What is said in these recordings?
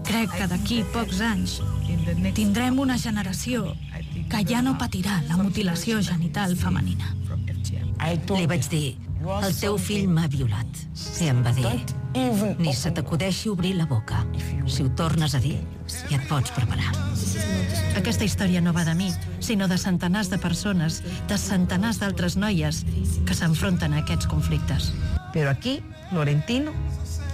Crec que d'aquí pocs anys tindrem una generació que ja no patirà la mutilació genital femenina. Li vaig dir, el teu fill m'ha violat. I em va dir, ni se t'acudeixi obrir la boca. Si ho tornes a dir, ja et pots preparar. Aquesta història no va de mi, sinó de centenars de persones, de centenars d'altres noies que s'enfronten a aquests conflictes. Pero aquí, Florentino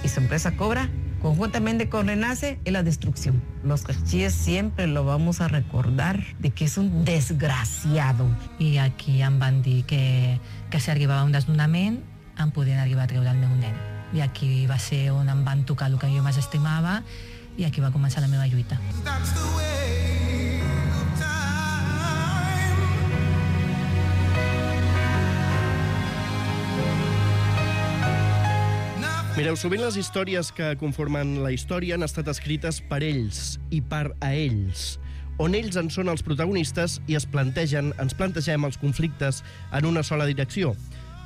y su empresa Cobra, conjuntamente con Renace, es la destrucción. Los cachilles siempre lo vamos a recordar de que es un desgraciado. I aquí em van dir que si arribava un desnonament em podien arribar a treure el meu nen. I aquí va ser on em van tocar el que jo més estimava i aquí va començar la meva lluita. Mireu, sovint les històries que conformen la història han estat escrites per ells i per a ells, on ells en són els protagonistes i ens plantegem els conflictes en una sola direcció.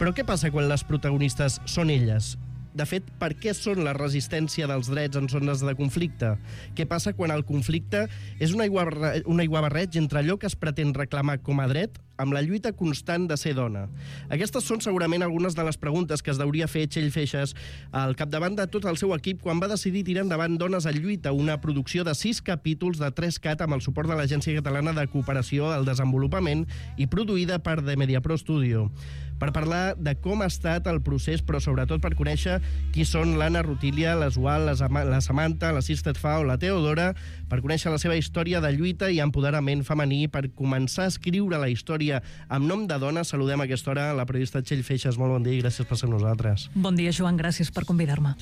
Però què passa quan les protagonistes són elles? De fet, per què són la resistència dels drets en zones de conflicte? Què passa quan el conflicte és un aiguabarreig entre allò que es pretén reclamar com a dret amb la lluita constant de ser dona? Aquestes són segurament algunes de les preguntes que es deuria fer Txell Feixas al capdavant de tot el seu equip quan va decidir tirar endavant Dones en lluita, una producció de 6 capítols de 3CAT amb el suport de l'Agència Catalana de Cooperació al Desenvolupament i produïda per The Mediapro Studio. Per parlar de com ha estat el procés, però sobretot per conèixer qui són l'Anna Rutília, l'Asual, la Samantha, la Sisted Fa o la Teodora, per conèixer la seva història de lluita i empoderament femení, per començar a escriure la història amb nom de dona, saludem a aquesta hora la periodista Txell Feixas. Molt bon dia i gràcies per ser amb nosaltres. Bon dia, Joan, gràcies per convidar-me.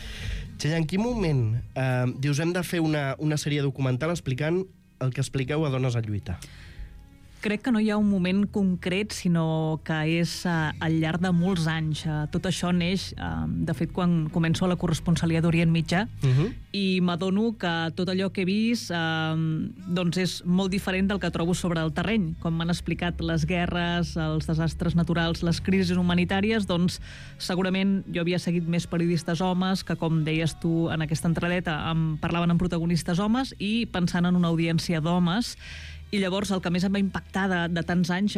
Txell, en quin moment dius hem de fer una sèrie documental explicant el que expliqueu a Dones en lluita? Crec que no hi ha un moment concret, sinó que és al llarg de molts anys. Tot això neix, de fet, quan començo a la corresponsalia d'Orient Mitjà, i m'adono que tot allò que he vist doncs és molt diferent del que trobo sobre el terreny. Com m'han explicat les guerres, els desastres naturals, les crisis humanitàries, doncs segurament jo havia seguit més periodistes homes que, com deies tu en aquesta entradeta, em parlaven amb protagonistes homes i pensant en una audiència d'homes. I llavors el que més em va impactar de tants anys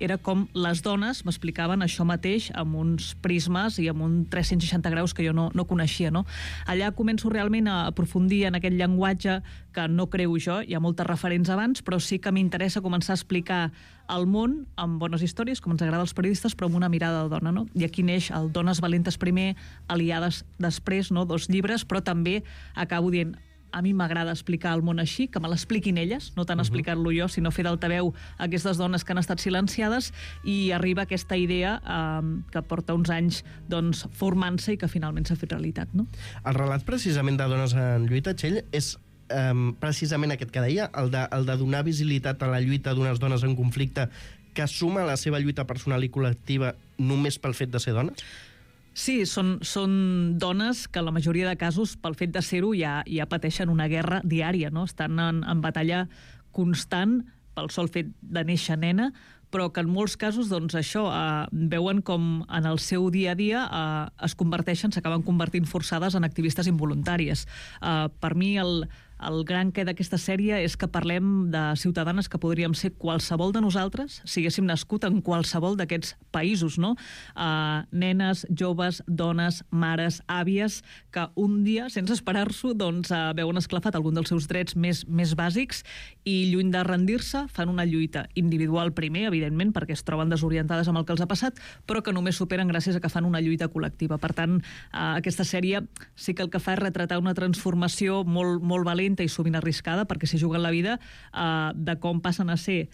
era com les dones m'explicaven això mateix amb uns prismes i amb un 360 graus que jo no coneixia. No? Allà començo realment a aprofundir en aquest llenguatge que no creu jo, hi ha moltes referents abans, però sí que m'interessa començar a explicar el món amb bones històries, com ens agrada als periodistes, però amb una mirada de dona. No? I aquí neix el Dones valentes primer, Aliades després, no? 2 llibres, però també acabo dient a mi m'agrada explicar el món així, que me l'expliquin elles, no tant explicar-lo jo, sinó fer d'altaveu aquestes dones que han estat silenciades, i arriba aquesta idea que porta uns anys doncs, formant-se i que finalment s'ha fet realitat. No? El relat precisament de Dones en lluita, Txell, és precisament aquest que deia, el de donar visibilitat a la lluita d'unes dones en conflicte que suma la seva lluita personal i col·lectiva només pel fet de ser dones? Sí, són dones que en la majoria de casos, pel fet de ser-ho, ja pateixen una guerra diària, no? Estan en batalla constant pel sol fet de néixer nena, però que en molts casos doncs, això veuen com en el seu dia a dia s'acaben convertint forçades en activistes involuntàries. Per mi el gran què d'aquesta sèrie és que parlem de ciutadanes que podríem ser qualsevol de nosaltres si haguéssim nascut en qualsevol d'aquests països, no? Nenes, joves, dones, mares, àvies, que un dia, sense esperar-s'ho, doncs, veuen esclafat algun dels seus drets més bàsics i, lluny de rendir-se, fan una lluita individual primer, evidentment, perquè es troben desorientades amb el que els ha passat, però que només superen gràcies a que fan una lluita col·lectiva. Per tant, aquesta sèrie sí que el que fa és retratar una transformació molt, molt valenta i sovint arriscada, perquè s'hi juguen la vida, de com passen a ser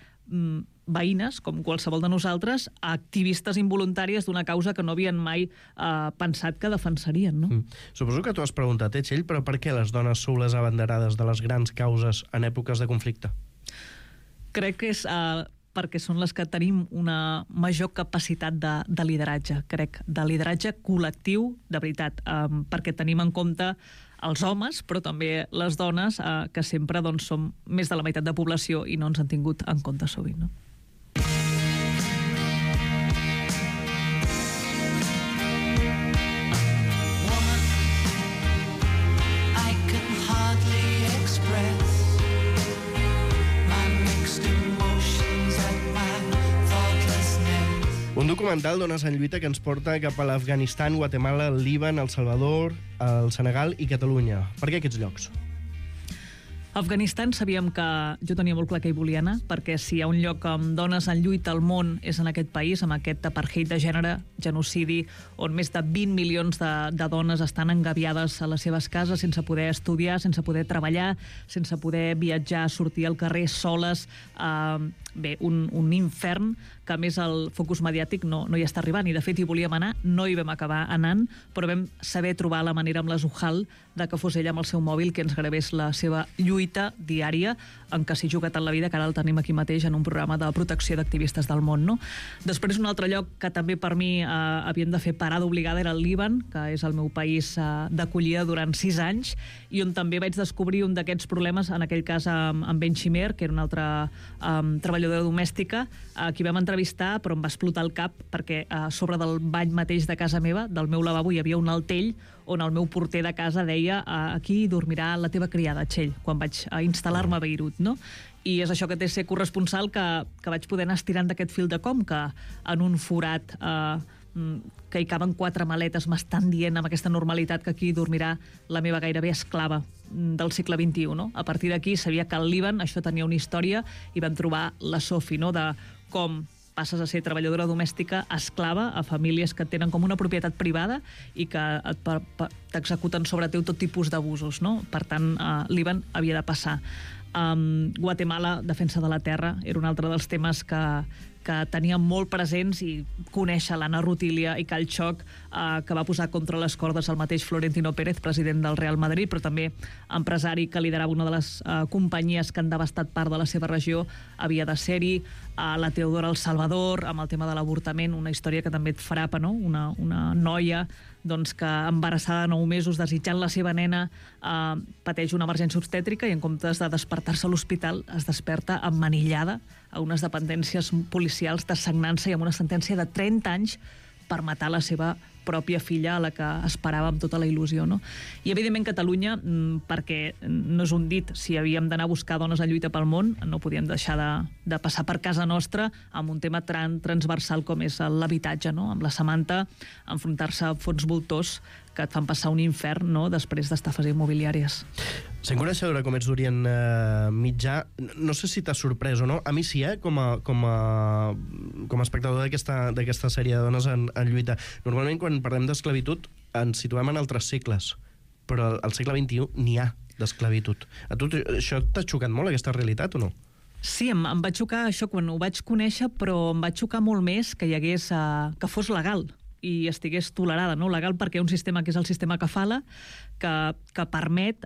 veïnes, com qualsevol de nosaltres, a activistes involuntàries d'una causa que no havien mai pensat que defensarien. No? Suposo que t'ho has preguntat, Txell, però per què les dones sou les abanderades de les grans causes en èpoques de conflicte? Crec que és perquè són les que tenim una major capacitat de lideratge, crec, de lideratge col·lectiu, de veritat, perquè tenim en compte els homes, però també les dones, que sempre doncs, som més de la meitat de població i no ens han tingut en compte sovint. No? Un documental d'Ones en lluita que ens porta cap a l'Afganistan, Guatemala, el Líban, el Salvador, el Senegal i Catalunya. Per què aquests llocs? Afganistan sabíem que jo tenia molt clar que hi volia anar, perquè si hi ha un lloc amb dones en lluita al món és en aquest país, amb aquest apartheid de gènere, genocidi, on més de 20 milions de dones estan engabiades a les seves cases sense poder estudiar, sense poder treballar, sense poder viatjar, sortir al carrer soles. Bé, un infern que a més el focus mediàtic no hi està arribant, i de fet hi volíem anar, no hi vam acabar anant, però vam saber trobar la manera amb la Zuhal de que fos ella amb el seu mòbil que ens gravés la seva lluita diària en què s'hi juga tant la vida, que ara el tenim aquí mateix en un programa de protecció d'activistes del món, no? Després, un altre lloc que també per mi havien de fer parada obligada era el Líban, que és el meu país d'acollida durant 6 anys, i on també vaig descobrir un d'aquests problemes, en aquell cas amb Ben Shimer, que era una altra treballadora domèstica, a qui vam entrevistar, però em va explotar el cap perquè a sobre del bany mateix de casa meva, del meu lavabo, hi havia un altell on el meu porter de casa deia aquí dormirà la teva criada, Txell, quan vaig instal·lar-me a Beirut, no? I és això que té ser corresponsal que vaig poder anar estirant d'aquest fil de com, que en un forat que hi caben 4 maletes m'estan dient amb aquesta normalitat que aquí dormirà la meva gairebé esclava del segle XXI, no? A partir d'aquí sabia que al Líban això tenia una història i vam trobar la Sofi, no?, de com passes a ser treballadora domèstica esclava a famílies que tenen com una propietat privada i que t'executen sobre teu tot tipus d'abusos, no? Per tant, Líban havia de passar. Guatemala, defensa de la terra, era un altre dels temes que teníem molt presents, i conèixer l'Anna Rutília i Cal Xoc, que va posar contra les cordes el mateix Florentino Pérez, president del Real Madrid, però també empresari que liderava una de les companyies que han devastat part de la seva regió, havia de ser-hi. La Teodora El Salvador, amb el tema de l'avortament, una història que també et frapa, no? Una noia doncs, que embarassada de 9 mesos, desitjant la seva nena, pateix una emergència obstètrica i en comptes de despertar-se a l'hospital es desperta emmanillada a unes dependències policials de sagnança i amb una sentència de 30 anys per matar la seva pròpia filla, a la que esperava amb tota la il·lusió, no? I, evidentment, Catalunya, perquè no és un dit, si havíem d'anar a buscar dones en lluita pel món, no podíem deixar de passar per casa nostra amb un tema transversal com és l'habitatge, no? Amb la Samantha, enfrontar-se a fons voltors que et fan passar un infern, no?, després d'estafes immobiliàries. Sent coneixedora com ets d'Orient Mitjà, no sé si t'ha sorprès o no, a mi sí, com a espectador d'aquesta sèrie de dones en lluita. Normalment, quan parlem d'esclavitud, ens situem en altres segles, però al segle XXI n'hi ha d'esclavitud. A tu això t'ha xocat molt, aquesta realitat, o no? Sí, em va xocar això quan ho vaig conèixer, però em va xocar molt més que hi hagués, que fos legal i estigués tolerada, no? Legal perquè hi ha un sistema que és el sistema Kafala, que permet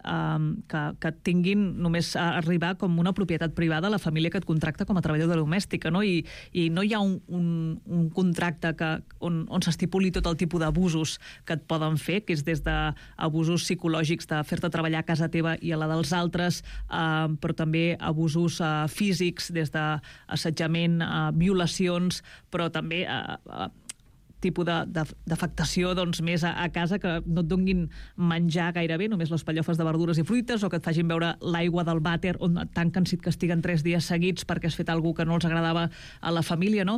que tinguin només arribar com una propietat privada a la família que et contracta com a treballadora domèstica, no? I no hi ha un contracte on s'estipuli tot el tipus d'abusos que et poden fer, que és des d'abusos psicològics de fer-te treballar a casa teva i a la dels altres, però també abusos físics, des d'assetjament, violacions, però també tipus d'afectació doncs, més a casa, que no et donguin menjar gairebé, només les pallofes de verdures i fruites, o que et facin veure l'aigua del vàter on et tanquen si et castiguen 3 dies seguits perquè has fet alguna que no els agradava a la família, no?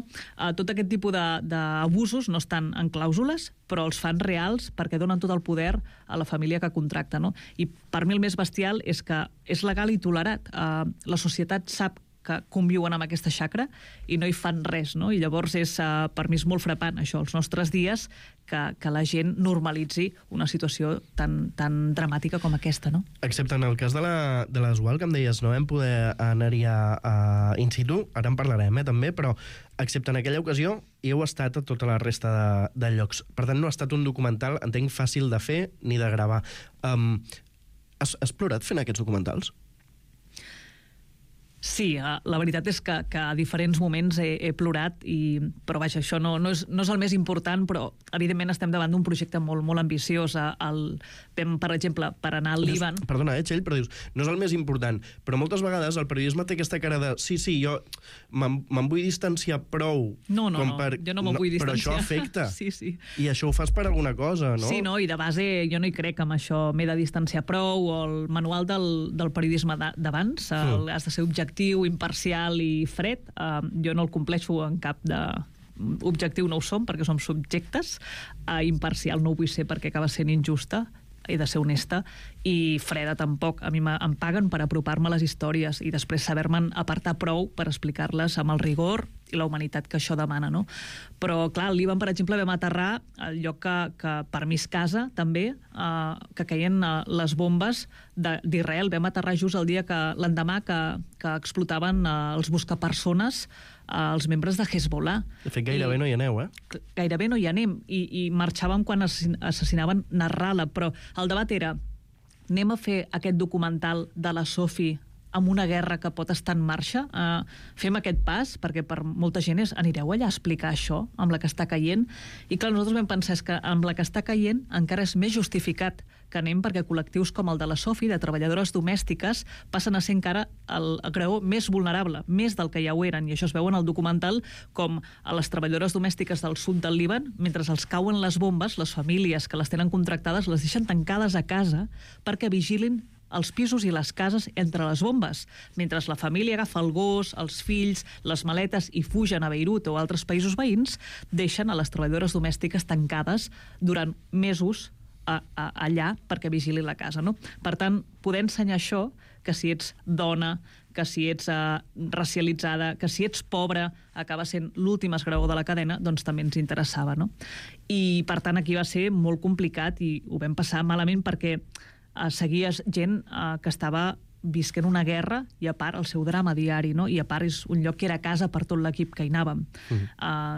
Tot aquest tipus d'abusos no estan en clàusules, però els fan reals perquè donen tot el poder a la família que contracta, no? I per mi el més bestial és que és legal i tolerat. La societat sap que conviuen amb aquesta xacra i no hi fan res, no? I llavors és, per mi és molt frapant això, els nostres dies, que la gent normalitzi una situació tan dramàtica com aquesta, no? Excepte en el cas de la Zuhal, que em deies, no vam poder anar-hi a in situ, ara en parlarem també, però excepte en aquella ocasió hi heu estat a tota la resta de llocs. Per tant, no ha estat un documental, entenc, fàcil de fer ni de gravar. Has plorat fent aquests documentals? Sí, la veritat és que a diferents moments he plorat, però vaja, això no és el més important, però evidentment estem davant d'un projecte molt, molt ambiciós. Per exemple, per anar al Líban... Perdona, Txell, però dius, no és el més important, però moltes vegades el periodisme té aquesta cara de sí, jo me'n vull distanciar prou. No, jo no me'n vull distanciar. Però això afecta. Sí. I això ho fas per alguna cosa, no? Sí, no, i de base jo no hi crec amb això, m'he de distanciar prou, o el manual del periodisme d'abans, has de ser objectiu, imparcial i fred, jo no el compleixo en cap objectiu no ho som, perquè som subjectes, imparcial no ho vull ser perquè acaba sent injusta, he de ser honesta, i freda tampoc. A mi em paguen per apropar-me a les històries i després saber-me'n apartar prou per explicar-les amb el rigor i la humanitat que això demana, no? Però, clar, al Líban, per exemple, vam aterrar al lloc que per mi és casa, també, que caien les bombes d'Israel. Vam aterrar just el dia l'endemà que explotaven els buscapersones els membres de Hezbollah. De fet, gairebé no hi aneu, Gairebé no hi anem, i marxàvem quan assassinaven Nasrallah, però el debat era, anem a fer aquest documental de la Sophie amb una guerra que pot estar en marxa, fem aquest pas, perquè per molta gent anireu allà a explicar això, amb la que està caient, i clar, nosaltres vam pensar que amb la que està caient encara és més justificat que anem, perquè col·lectius com el de la Sophie, de treballadores domèstiques, passen a ser encara el graó més vulnerable, més del que ja ho eren, i això es veu en el documental, com a les treballadores domèstiques del sud del Líban, mentre els cauen les bombes, les famílies que les tenen contractades les deixen tancades a casa perquè vigilin els pisos i les cases entre les bombes, mentre la família agafa el gos, els fills, les maletes i fugen a Beirut o a altres països veïns, deixen a les treballadores domèstiques tancades durant mesos allà perquè vigili la casa, no? Per tant, poder ensenyar això, que si ets dona, que si ets racialitzada, que si ets pobra, acaba sent l'últim esgraó de la cadena, doncs també ens interessava, no? I, per tant, aquí va ser molt complicat i ho vam passar malament perquè seguies gent que estava visquent una guerra i a part el seu drama diari, no? I a part és un lloc que era casa per tot l'equip que hi anàvem.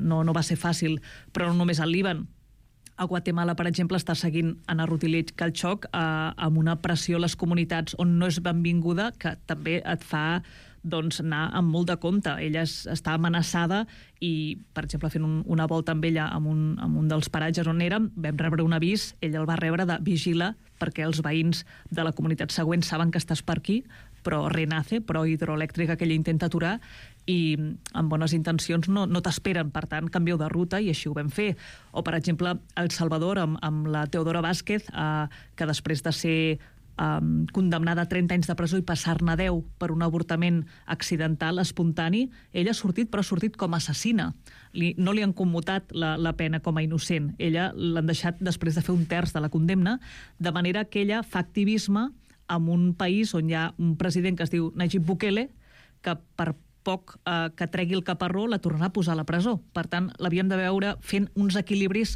No va ser fàcil, però no només al Líban. A Guatemala, per exemple, està seguint Anna Rutillich Kalchok amb una pressió a les comunitats on no és benvinguda, que també et fa anar amb molt de compte. Ella està amenaçada i, per exemple, fent una volta amb ella en un dels paratges on érem, vam rebre un avís, ella el va rebre de vigila perquè els veïns de la comunitat següent saben que estàs per aquí, però Renace, però hidroelèctrica, que ella intenta aturar, i amb bones intencions no t'esperen, per tant, canvieu de ruta, i així ho vam fer. O, per exemple, El Salvador, amb la Teodora Vázquez, que després de ser condemnada a 30 anys de presó i passar-ne 10 per un avortament accidental, espontani, ella ha sortit, però ha sortit com a assassina. No li han commutat la pena com a innocent. Ella l'han deixat després de fer un terç de la condemna, de manera que ella fa activisme en un país on hi ha un president que es diu Nayib Bukele, que per poc que tregui el caparró la tornarà a posar a la presó. Per tant, l'havíem de veure fent uns equilibris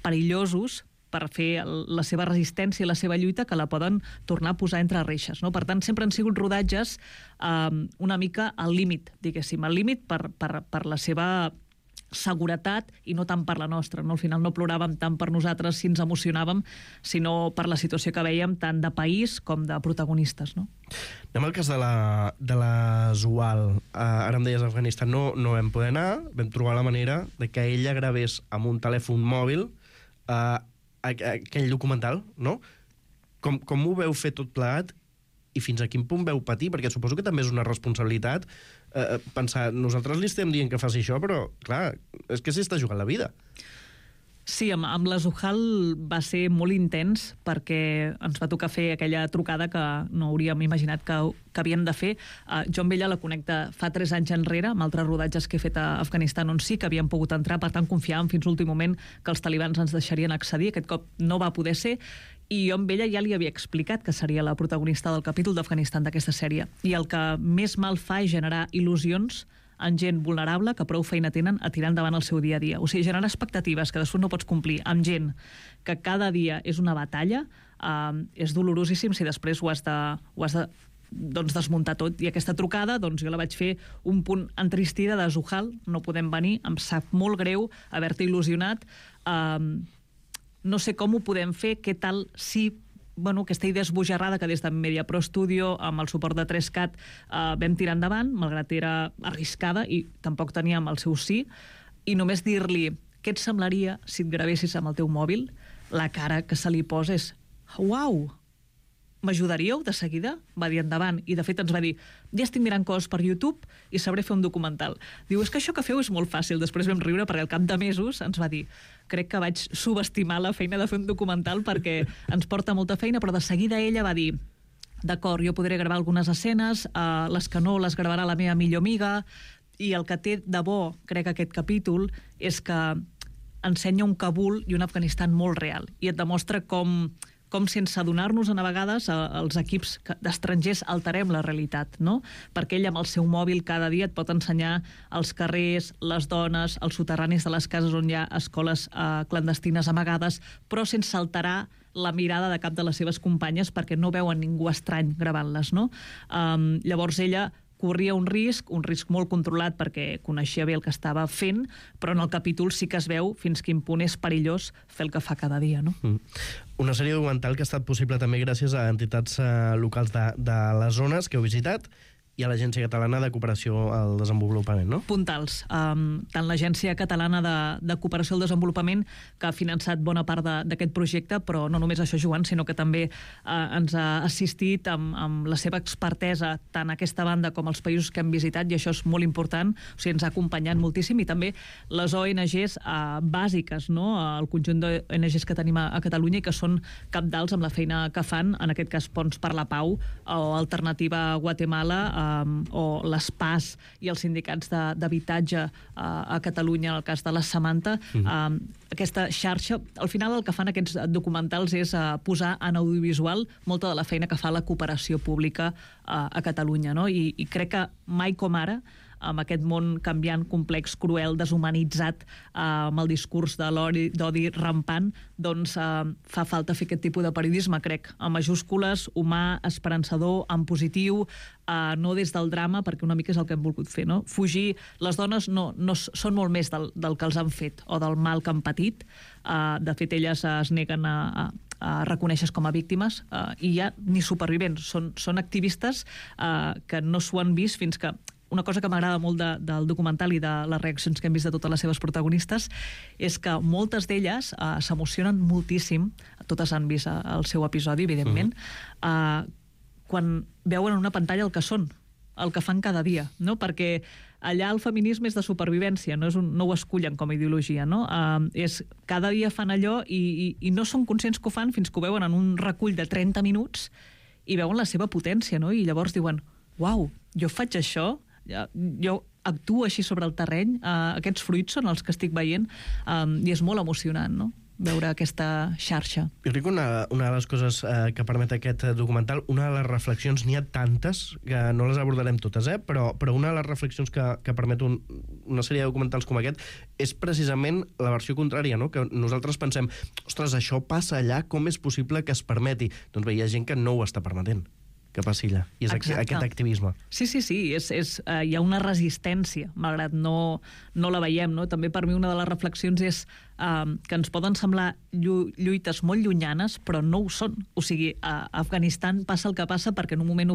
perillosos per fer la seva resistència i la seva lluita, que la poden tornar a posar entre reixes, no? Per tant, sempre han sigut rodatges una mica al límit, diguéssim, al límit per la seva seguretat i no tant per la nostra, no? Al final no ploràvem tant per nosaltres si ens emocionàvem, sinó per la situació que veiem tant de país com de protagonistes, no? Anem al cas de la Zuhal. Ara em deies Afganistan, no vam poder anar, vam trobar la manera de que ella gravés amb un telèfon mòbil aquell documental, no? Com ho veu fer tot plegat i fins a quin punt veu patir? Perquè suposo que també és una responsabilitat pensar, nosaltres li estem dient que faci això, però, clar, és que s'hi està jugant la vida. Sí, amb la Zuhal va ser molt intens perquè ens va tocar fer aquella trucada que no hauríem imaginat que havíem de fer. Jo amb ella la conec de fa 3 anys enrere, amb altres rodatges que he fet a Afganistan on sí que havíem pogut entrar, per tant confiàvem fins l'últim moment que els talibans ens deixarien accedir. Aquest cop no va poder ser, i jo amb ella ja li havia explicat que seria la protagonista del capítol d'Afganistan d'aquesta sèrie. I el que més mal fa és generar il·lusions en gent vulnerable que prou feina tenen a tirar endavant el seu dia a dia. O sigui, generar expectatives que després no pots complir amb gent que cada dia és una batalla és dolorosíssim si després ho has de desmuntar tot. I aquesta trucada, jo la vaig fer un punt entristida de Zuhal, no podem venir, em sap molt greu haver-te il·lusionat, no sé com ho podem fer, què tal si aquesta idea esbojarrada que des de Media Pro Studio, amb el suport de 3CAT, vam tirar endavant, malgrat era arriscada i tampoc teníem el seu sí, i només dir-li què et semblaria si et gravessis amb el teu mòbil, la cara que se li posa és uau, m'ajudaríeu de seguida? Va dir endavant, i de fet ens va dir ja estic mirant coses per YouTube i sabré fer un documental. Diu, és que això que feu és molt fàcil. Després vam riure perquè al cap de mesos ens va dir crec que vaig subestimar la feina de fer un documental perquè ens porta molta feina, però de seguida ella va dir d'acord, jo podré gravar algunes escenes, les que no les gravarà la meva millor amiga, I el que té de bo, crec, aquest capítol, és que ensenya un Kabul i un Afganistan molt real. I et demostra com sense adonar-nos a vegades els equips d'estrangers alterem la realitat, no? Perquè ell amb el seu mòbil cada dia et pot ensenyar els carrers, les dones, els soterranis de les cases on hi ha escoles clandestines amagades, però sense alterar la mirada de cap de les seves companyes perquè no veuen ningú estrany gravant-les, no? Llavors ella corria un risc molt controlat perquè coneixia bé el que estava fent, però en el capítol sí que es veu fins quin punt és perillós fer el que fa cada dia, no? Una sèrie documental que ha estat possible també gràcies a entitats locals de les zones que heu visitat i a l'Agència Catalana de Cooperació al Desenvolupament, no? Puntals. Tant l'Agència Catalana de Cooperació al Desenvolupament, que ha finançat bona part d'aquest projecte, però no només això, Joan, sinó que també ens ha assistit amb la seva expertesa tant a aquesta banda com als països que hem visitat, i això és molt important, o sigui, ens ha acompanyat moltíssim, i també les ONGs bàsiques, no?, el conjunt d'ONGs que tenim a Catalunya i que són cabdals amb la feina que fan, en aquest cas Ponts per la Pau o Alternativa Guatemala, o les PAS i els sindicats d'habitatge a Catalunya, en el cas de la Samantha. Aquesta xarxa, al final el que fan aquests documentals és posar en audiovisual molta de la feina que fa la cooperació pública a Catalunya, no? I crec que mai com ara, amb aquest món canviant, complex, cruel, deshumanitzat, amb el discurs de d'odi rampant, doncs fa falta fer aquest tipus de periodisme, crec, amb majúscules, humà, esperançador, en positiu, no des del drama, perquè una mica és el que hem volgut fer, no? Fugir, les dones no són molt més del que els han fet o del mal que han patit. De fet, elles es neguen a reconèixer com a víctimes i ja ni supervivents, són activistes que no s'ho han vist fins que... Una cosa que m'agrada molt del documental i de les reaccions que hem vist de totes les seves protagonistes és que moltes d'elles s'emocionen moltíssim, totes han vist el seu episodi, evidentment, quan veuen en una pantalla el que són, el que fan cada dia, no? Perquè allà el feminisme és de supervivència, no ho escullen com a ideologia, no? Cada dia fan allò i no són conscients que ho fan fins que ho veuen en un recull de 30 minuts i veuen la seva potència, no? I llavors diuen, uau, jo faig això, jo actuo així sobre el terreny, aquests fruits són els que estic veient, i és molt emocionant, no?, veure aquesta xarxa. Jo crec que una de les coses que permet aquest documental, una de les reflexions, n'hi ha tantes que no les abordarem totes, però una de les reflexions que permet una sèrie de documentals com aquest és precisament la versió contrària, no? Que nosaltres pensem, ostres, això passa allà, com és possible que es permeti? Doncs bé, hi ha gent que no ho està permetent que passi allà, i és aquest activisme. Sí, hi ha una resistència, malgrat no la veiem, no? També per mi una de les reflexions és que ens poden semblar lluites molt llunyanes, però no ho són. O sigui, a Afganistan passa el que passa perquè en un moment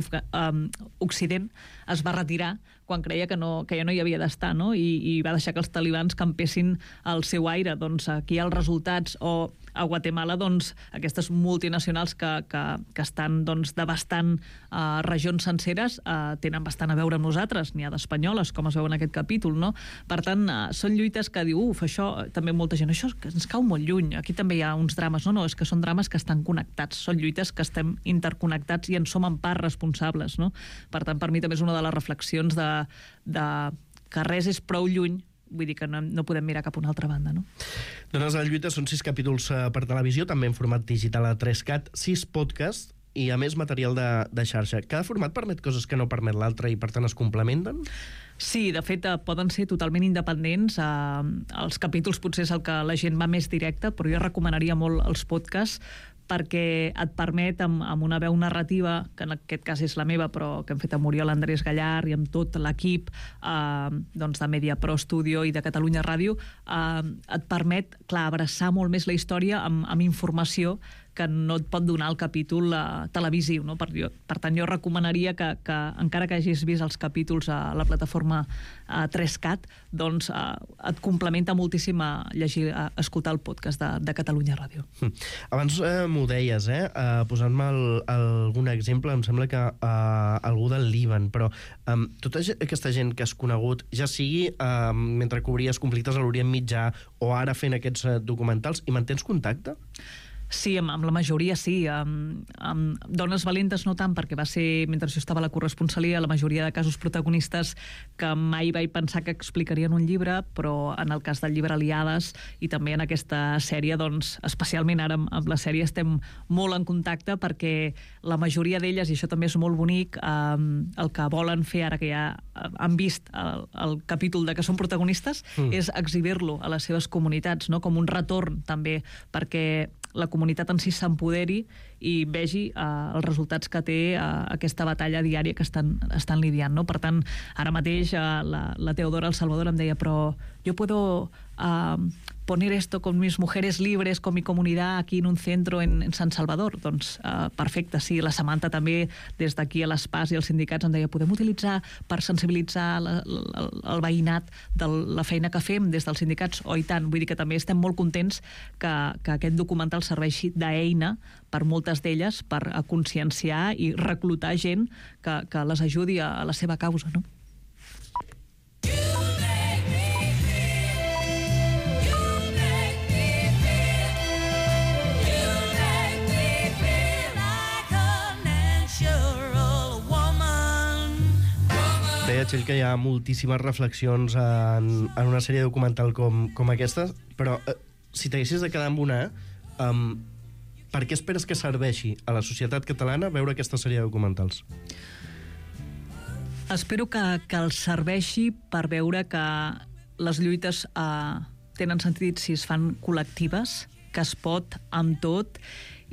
Occident es va retirar quan creia que ja no hi havia d'estar, no? I va deixar que els talibans campessin el seu aire. Doncs aquí hi ha els resultats, o a Guatemala, doncs, aquestes multinacionals que estan devastant regions senceres tenen bastant a veure amb nosaltres, n'hi ha d'espanyoles, com es veu en aquest capítol, no? Per tant, són lluites que diu, això, també molta gent, això ens cau molt lluny, aquí també hi ha uns drames, no, és que són drames que estan connectats, són lluites que estem interconnectats i en som en part responsables, no? Per tant, per mi també és una de les reflexions de que res és prou lluny, vull dir que no podem mirar cap a una altra banda, no? Dones de la lluita són 6 capítols per televisió, també en format digital a 3CAT, 6 podcasts i, a més, material de xarxa. Cada format permet coses que no permet l'altre i, per tant, es complementen? Sí, de fet, poden ser totalment independents. Els capítols potser és el que la gent va més directe, però jo recomanaria molt els podcasts perquè et permet, amb una veu narrativa, que en aquest cas és la meva, però que hem fet amb Oriol Andrés Gallar i amb tot l'equip de Media Pro Studio i de Catalunya Ràdio, et permet, clar, abraçar molt més la història amb informació que no et pot donar el capítol televisiu, no? Per tant, jo recomanaria que encara que hagis vist els capítols a la plataforma 3CAT, doncs et complementa moltíssim a escoltar el podcast de Catalunya Ràdio. Abans m'ho deies, posant-me algun exemple, em sembla que algú del Líban, però tota aquesta gent que has conegut, ja sigui mentre cobries conflictes a l'Orient Mitjà o ara fent aquests documentals, i mantens contacte? Sí, amb la majoria sí. Amb Dones valentes no tant, perquè va ser, mentre jo estava a la corresponsalia, la majoria de casos protagonistes que mai vaig pensar que explicarien un llibre, però en el cas del llibre Aliades i també en aquesta sèrie, doncs, especialment ara amb la sèrie estem molt en contacte, perquè la majoria d'elles, i això també és molt bonic, el que volen fer ara que ja han vist el capítol de que són protagonistes, és exhibir-lo a les seves comunitats, no? Com un retorn també, perquè la comunitat en si s'empoderi i vegi els resultats que té aquesta batalla diària que estan lidiant, no? Per tant, ara mateix la Teodora El Salvador em deia, però yo puedo poner esto con mis mujeres libres, con mi comunidad aquí en un centro en San Salvador. Doncs perfecte, sí. La Samantha també, des d'aquí a l'ESPAS i els sindicats, em deia, podem utilitzar per sensibilitzar el veïnat de la feina que fem des dels sindicats? Oh, i tant. Vull dir que també estem molt contents que aquest documental serveixi d'eina per moltes d'elles per conscienciar i reclutar gent que les ajudi a la seva causa, no? Deia, Txell, que hi ha moltíssimes reflexions en una sèrie documental com aquesta, però si t'haguessis de quedar amb una, per què esperes que serveixi a la societat catalana veure aquesta sèrie de documentals? Espero que els serveixi per veure que les lluites tenen sentit si es fan col·lectives, que es pot amb tot,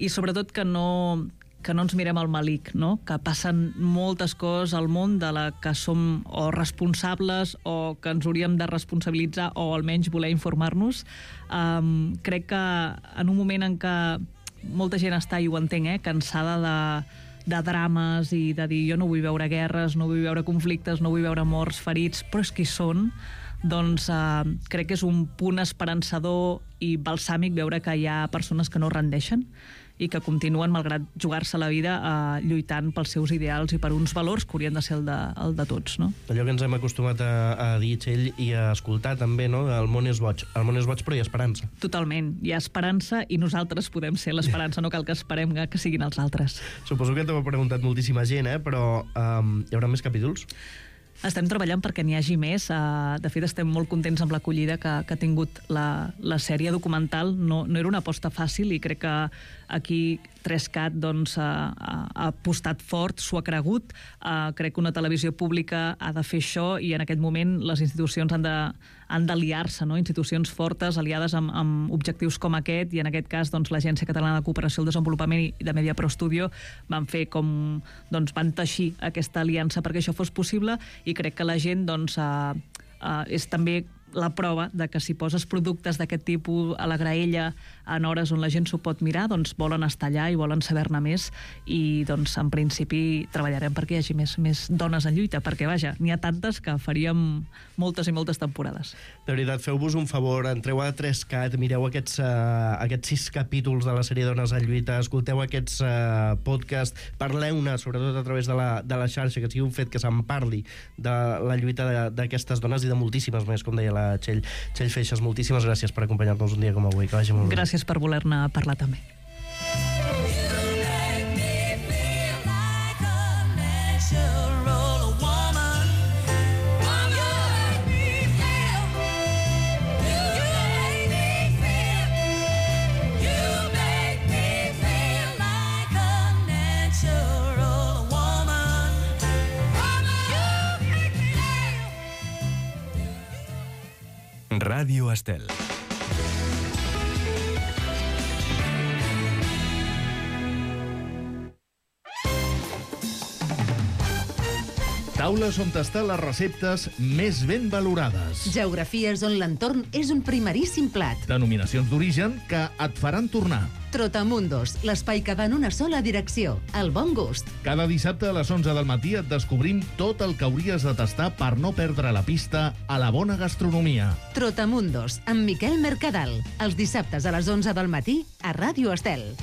i sobretot que no ens mirem al malic, no? Que passen moltes coses al món de la que som o responsables o que ens hauríem de responsabilitzar o almenys voler informar-nos. Crec que en un moment en què molta gent està, i ho entenc, cansada de drames i de dir jo no vull veure guerres, no vull veure conflictes, no vull veure morts, ferits, però és que hi són, doncs crec que és un punt esperançador i balsàmic veure que hi ha persones que no rendeixen i que continuen, malgrat jugar-se la vida, lluitant pels seus ideals i per uns valors que haurien de ser el de tots, no? Allò que ens hem acostumat a dir, Txell, i a escoltar també, no? El món és boig. El món és boig, però hi ha esperança. Totalment. Hi ha esperança i nosaltres podem ser l'esperança, no cal que esperem que siguin els altres. Suposo que t'ho ha preguntat moltíssima gent, però hi haurà més capítols? Estem treballant perquè n'hi hagi més. De fet, estem molt contents amb l'acollida que ha tingut la sèrie documental. No era una aposta fàcil i crec que aquí 3CAT doncs, ha apostat fort, s'ho ha cregut. Crec que una televisió pública ha de fer això i en aquest moment les institucions han d'aliar-se, no? Institucions fortes, aliades amb objectius com aquest, i en aquest cas doncs, l'Agència Catalana de Cooperació al Desenvolupament i de Media Pro Studio van fer van teixir aquesta aliança perquè això fos possible, i crec que la gent doncs, és també la prova de que si poses productes d'aquest tipus a la graella en hores on la gent s'ho pot mirar, doncs volen estar allà i volen saber-ne més, i doncs en principi treballarem perquè hi hagi més dones en lluita, perquè vaja, n'hi ha tantes que faríem moltes i moltes temporades. De veritat, feu-vos un favor, entreu a 3CAT, mireu aquests 6 capítols de la sèrie Dones en lluita, escolteu aquests podcasts, parleu-ne, sobretot a través de la xarxa, que sigui un fet que se'n parli de la lluita d'aquestes dones i de moltíssimes més, com deia la Txell Feixas. Moltíssimes gràcies per acompanyar-nos un dia com avui. Que vagi molt bé. Gràcies per voler-ne parlar també. Ràdio Estel. Taules on tastar les receptes més ben valorades. Geografies on l'entorn és un primeríssim plat. Denominacions d'origen que et faran tornar. Trotamundos, l'espai que va en una sola direcció, el bon gust. Cada dissabte a les 11 del matí et descobrim tot el que hauries de tastar per no perdre la pista a la bona gastronomia. Trotamundos, amb Miquel Mercadal. Els dissabtes a les 11 del matí a Ràdio Estel.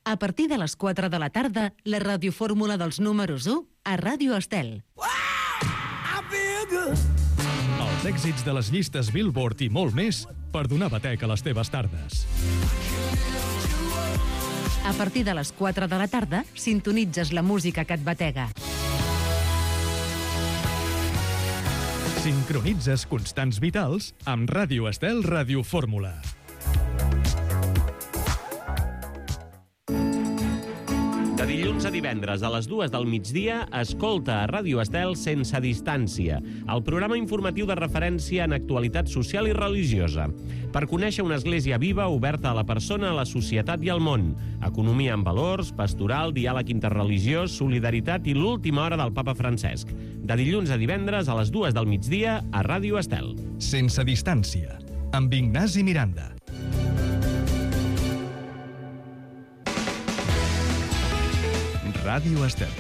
A partir de les 4 de la tarda, la radiofórmula dels números 1 a Ràdio Estel. Els èxits de les llistes Billboard i molt més per donar batec a les teves tardes. A partir de les 4 de la tarda, sintonitzes la música que et batega. Sincronitzes constants vitals amb Ràdio Estel Ràdio Fórmula. De dilluns a divendres a les 2 del migdia, escolta a Ràdio Estel Sense Distància, el programa informatiu de referència en actualitat social i religiosa. Per conèixer una església viva, oberta a la persona, a la societat i al món. Economia amb valors, pastoral, diàleg interreligiós, solidaritat i l'última hora del papa Francesc. De dilluns a divendres a les 2 del migdia a Ràdio Estel. Sense Distància, amb Ignasi Miranda. Ràdio Estel,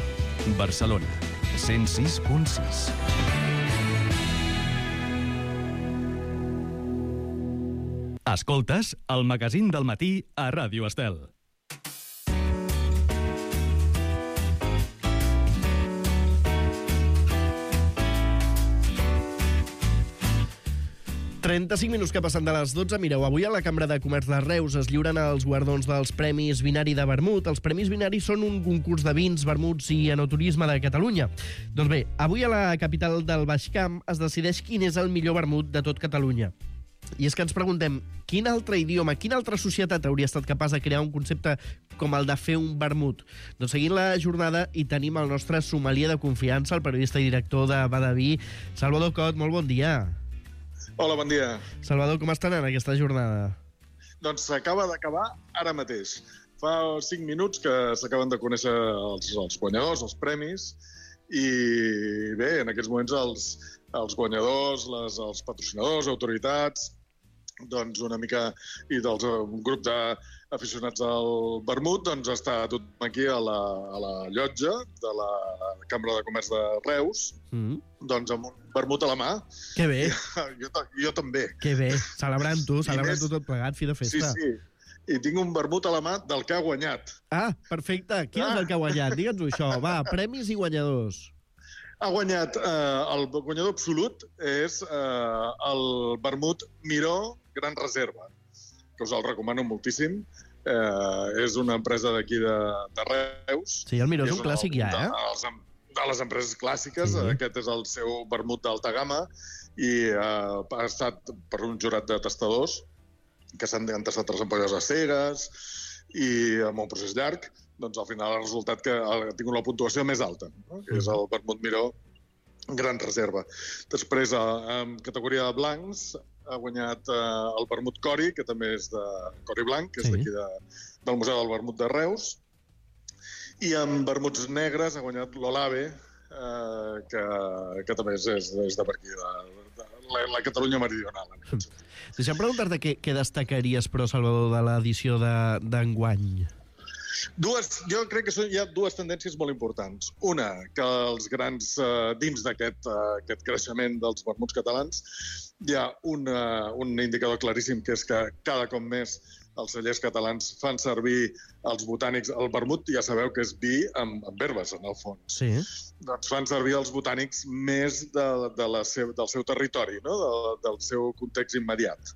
Barcelona, 106.6. Escoltes el magazín del matí a Ràdio Estel. ...35 minuts que passen de les 12. Mireu, avui a la Cambra de Comerç de Reus es lliuren els guardons dels Premis Vinari de Vermut. Els Premis Vinari són un concurs de vins, vermuts i enoturisme de Catalunya. Doncs bé, avui a la capital del Baix Camp es decideix quin és el millor vermut de tot Catalunya. I és que ens preguntem, quin altre idioma, quina altra societat hauria estat capaç de crear un concepte com el de fer un vermut? Doncs seguint la jornada hi tenim el nostre sommelier de confiança, el periodista i director de Badaví, Salvador Cot. Molt bon dia. Hola, bon dia. Salvador, com està anant aquesta jornada? Doncs s'acaba d'acabar ara mateix. Fa 5 minuts que s'acaben de conèixer els guanyadors, els premis, i bé, en aquests moments els guanyadors, els patrocinadors, autoritats, doncs una mica, i un grup d'aficionats al vermut, doncs està tothom aquí a la llotja de la Cambra de Comerç de Reus, doncs amb un vermut a la mà. Que bé. Jo també. Que bé, celebrant-ho tot plegat, fi de festa. Sí. I tinc un vermut a la mà del que ha guanyat. Ah, perfecte. Quin és el que ha guanyat? Digue'ns-ho això. Va, premis i guanyadors. Ha guanyat, el guanyador absolut és el vermut Miró Gran Reserva, que us el recomano moltíssim. És una empresa d'aquí de Reus. Sí, el Miró és un clàssic ja, eh? De les empreses clàssiques. Sí. Aquest és el seu vermut d'alta gamma i ha estat per un jurat de tastadors que s'han tastat 3 ampolles a cegues i amb un procés llarg. Doncs al final ha resultat que ha tingut la puntuació més alta, no? Que és el vermut Miró Gran Reserva. Després, en categoria de blancs, ha guanyat el vermut Cori, que també és de Cori Blanc, que és d'aquí del Museu del Vermut de Reus. I en vermuts negres ha guanyat l'Olave, que també és de per aquí, de la Catalunya meridional. Deixa'm preguntar-te què destacaries, però, Salvador, de l'edició d'enguany. Jo crec que hi ha 2 tendències molt importants. Una, que els grans, dins d'aquest creixement dels vermuts catalans, hi ha un indicador claríssim, que és que cada cop més els cellers catalans fan servir els botànics. El vermut ja sabeu que és vi amb herbes, en el fons. Sí. Doncs fan servir els botànics més del seu territori, no? Del seu context immediat.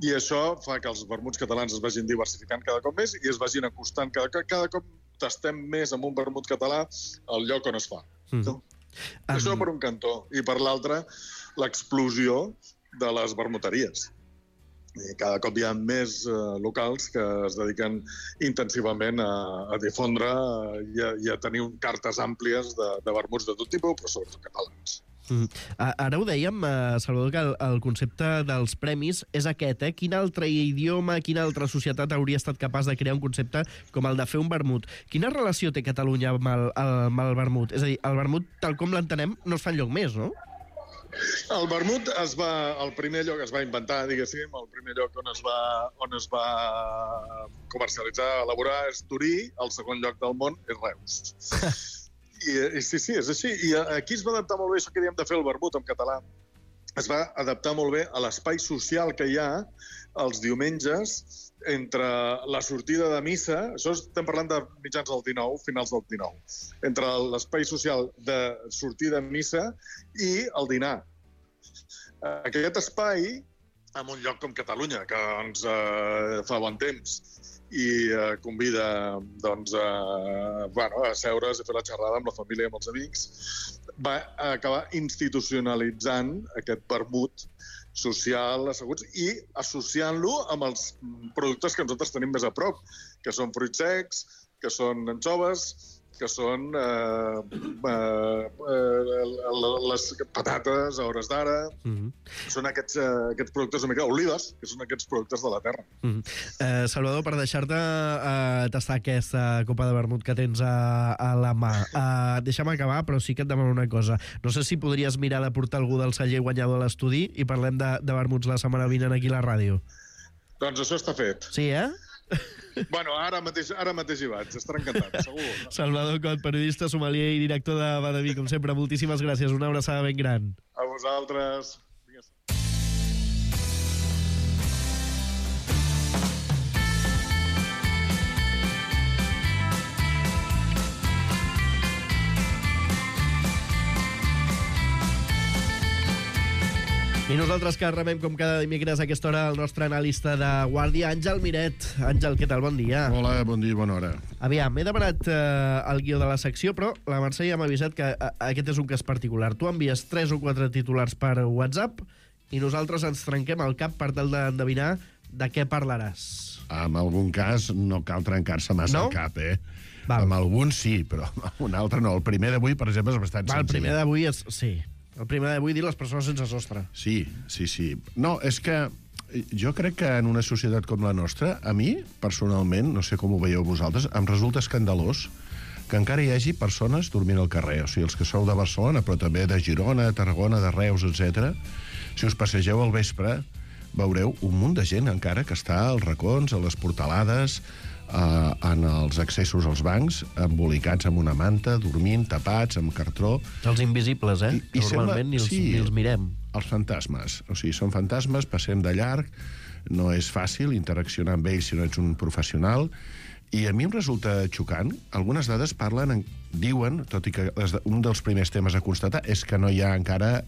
I això fa que els vermuts catalans es vagin diversificant cada cop més i es vagin acostant. Cada cop tastem més amb un vermut català al lloc on es fa. Això per un cantó. I per l'altre, l'explosió de les vermuteries. Cada cop hi ha més locals que es dediquen intensivament a difondre i a tenir cartes àmplies de vermuts de tot tipus, però sobretot catalans. Ara ho dèiem, Salvador, que el concepte dels premis és aquest, eh? Quin altre idioma, quina altra societat hauria estat capaç de crear un concepte com el de fer un vermut? Quina relació té Catalunya amb el vermut? És a dir, el vermut, tal com l'entenem, no es fa enlloc més, no? El vermut el primer lloc es va inventar, diguéssim, el primer lloc on es va comercialitzar, elaborar és Torí, el segon lloc del món és Reus. I sí, és així. I aquí es va adaptar molt bé això que diem de fer el vermut en català. Es va adaptar molt bé a l'espai social que hi ha els diumenges entre la sortida de missa, això estem parlant de mitjans del 19, finals del 19, entre l'espai social de sortir de missa i el dinar. Aquest espai en un lloc com Catalunya, que fa bon temps, i convida a seure's i fer la xerrada amb la família i amb els amics, va acabar institucionalitzant aquest vermut social, asseguts, i associant-lo amb els productes que nosaltres tenim més a prop, que són fruits secs, que són anxoves, que són les patates a hores d'ara. Són aquests productes una mica olives, que són aquests productes de la terra. Salvador, per deixar-te tastar aquesta copa de vermut que tens a la mà, deixa'm acabar, però sí que et demano una cosa. No sé si podries mirar de portar algú del celler guanyador a l'estudi i parlem de vermuts la setmana vinent aquí a la ràdio. Doncs això està fet. Sí, Bueno, ara mateix hi vaig, estarà encantat, segur. Salvador Cot, periodista, sommelier i director de Badaví, com sempre, moltíssimes gràcies, una abraçada ben gran. A vosaltres. I nosaltres que rebem com cada dimecres a aquesta hora el nostre analista de guàrdia, Àngel Miret. Àngel, què tal? Bon dia. Hola, bon dia i bona hora. Aviam, he demanat el guió de la secció, però la Mercè ja m'ha avisat que aquest és un cas particular. Tu envies 3 o 4 titulars per WhatsApp i nosaltres ens trenquem el cap per tal d'endevinar de què parlaràs. En algun cas no cal trencar-se massa el cap, Val. Amb alguns sí, però amb un altre no. El primer d'avui, per exemple, és bastant senzill. El primer d'avui és... Sí. El primer d'avui dir les persones sense sostre. Sí. No, és que jo crec que en una societat com la nostra, a mi, personalment, no sé com ho veieu vosaltres, em resulta escandalós que encara hi hagi persones dormint al carrer. O sigui, els que sou de Barcelona, però també de Girona, Tarragona, de Reus, etc. Si us passegeu al vespre, veureu un munt de gent encara que està als racons, a les portalades, en els accessos als bancs, embolicats amb una manta, dormint, tapats, amb cartró. Els invisibles, normalment ni els mirem. Els fantasmes. O sigui, són fantasmes, passem de llarg, no és fàcil interaccionar amb ells si no ets un professional, i a mi em resulta xocant. Algunes dades diuen, tot i que un dels primers temes a constatar és que no hi ha encara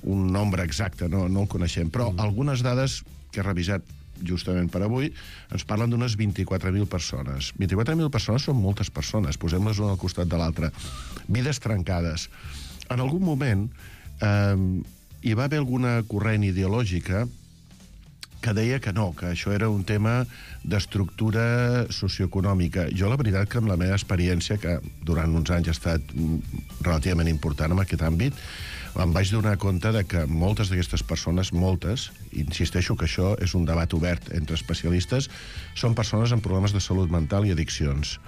un nombre exacte, no el coneixem, però algunes dades que he revisat justament per avui, ens parlen d'unes 24.000 persones. 24.000 persones són moltes persones, posem-les una al costat de l'altra. Vides trencades. En algun moment hi va haver alguna corrent ideològica que deia que no, que això era un tema d'estructura socioeconòmica. Jo, la veritat, que amb la meva experiència, que durant uns anys ha estat relativament important en aquest àmbit, em vaig donar compte de que moltes d'aquestes persones, insisteixo que això és un debat obert entre especialistes, són persones amb problemes de salut mental i addiccions.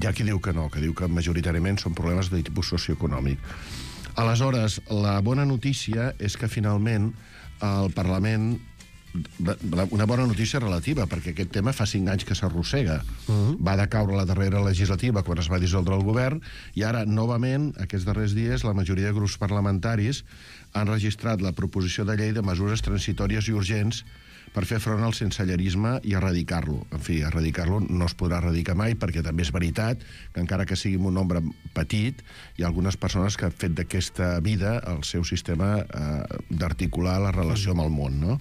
Hi ha qui diu que no, que diu que majoritàriament són problemes de tipus socioeconòmic. Aleshores, la bona notícia és que finalment el Parlament, una bona notícia relativa, perquè aquest tema fa 5 anys que s'arrossega. Va decaure la darrera legislativa quan es va dissoldre el govern, i ara, novament, aquests darrers dies, la majoria de grups parlamentaris han registrat la proposició de llei de mesures transitòries i urgents per fer front al sensellerisme i erradicar-lo. En fi, erradicar-lo no es podrà erradicar mai, perquè també és veritat que, encara que sigui un nombre petit, hi ha algunes persones que han fet d'aquesta vida el seu sistema d'articular la relació amb el món, no?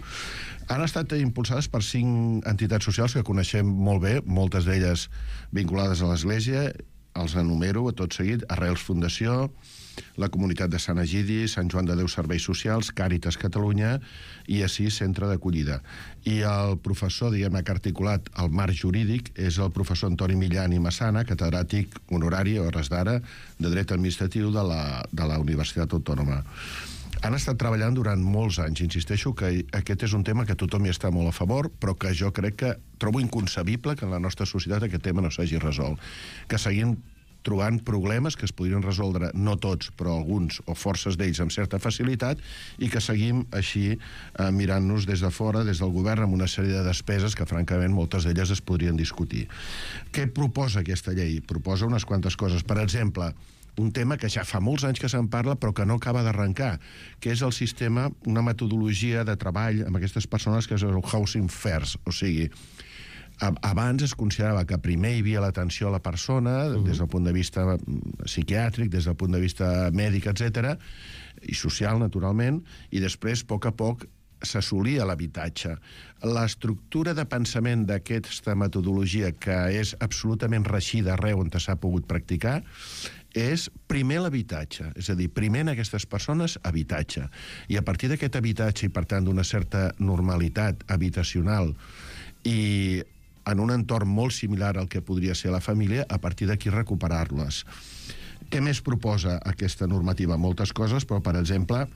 Han estat impulsades per 5 entitats socials que coneixem molt bé, moltes d'elles vinculades a l'Església. Els enumero a tot seguit: Arrels Fundació, la Comunitat de Sant Egidi, Sant Joan de Déu Serveis Socials, Càritas Catalunya i així Centre d'Acollida. I el professor, diguem-ne, que ha articulat el marc jurídic és el professor Antoni Millán i Massana, catedràtic honorari a hores d'ara de Dret Administratiu de la Universitat Autònoma. Han estat treballant durant molts anys. Insisteixo que aquest és un tema que tothom hi està molt a favor, però que jo crec que trobo inconcebible que en la nostra societat aquest tema no s'hagi resolt. Que seguim trobant problemes que es podrien resoldre, no tots, però alguns o forces d'ells amb certa facilitat, i que seguim així mirant-nos des de fora, des del govern, amb una sèrie de despeses que, francament, moltes d'elles es podrien discutir. Què proposa aquesta llei? Proposa unes quantes coses. Per exemple, un tema que ja fa molts anys que se'n parla però que no acaba d'arrencar, que és el sistema, una metodologia de treball amb aquestes persones que és el Housing First. O sigui, abans es considerava que primer hi havia l'atenció a la persona, des del punt de vista psiquiàtric, des del punt de vista mèdic, etc., i social, naturalment, i després, a poc, s'assolia l'habitatge. L'estructura de pensament d'aquesta metodologia, que és absolutament reeixida arreu on s'ha pogut practicar, és primer l'habitatge, és a dir, primer en aquestes persones habitatge. I a partir d'aquest habitatge, i per tant d'una certa normalitat habitacional i en un entorn molt similar al que podria ser la família, a partir d'aquí recuperar-les. Què més proposa aquesta normativa? Moltes coses, però, per exemple,